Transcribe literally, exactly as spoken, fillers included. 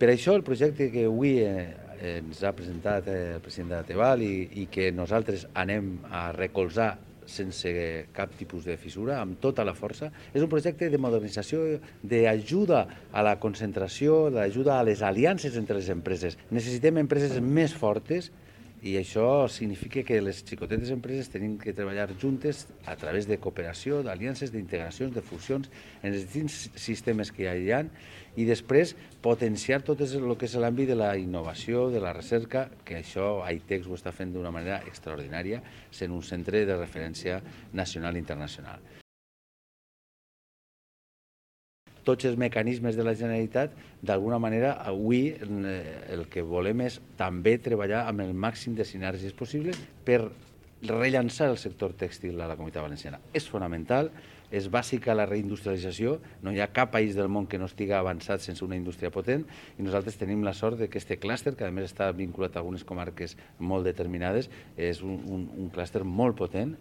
Per això el projecte que avui eh, ens ha presentat el president de la Teval i, i que nosaltres anem a recolzar sense cap tipus de fissura, amb tota la força, és un projecte de modernització, d'ajuda a la concentració, d'ajuda a les aliances entre les empreses. Necessitem empreses més fortes i això significa que les xicotetes empreses tenim que treballar juntes a través de cooperació, d'aliances, d'integracions, de fusions en els distints sistemes que hi ha i després potenciar tot el que és l'àmbit de la innovació, de la recerca, que això a ITEX ho està fent d'una manera extraordinària, sent un centre de referència nacional i internacional. Tots els mecanismes de la Generalitat, d'alguna manera, avui el que volem és també treballar amb el màxim de sinergies possibles per rellançar el sector tèxtil a la Comunitat Valenciana. És fonamental, és bàsica la reindustrialització, no hi ha cap país del món que no estigui avançat sense una indústria potent i nosaltres tenim la sort que aquest clúster, que a més està vinculat a algunes comarques molt determinades, és un, un, un clúster molt potent.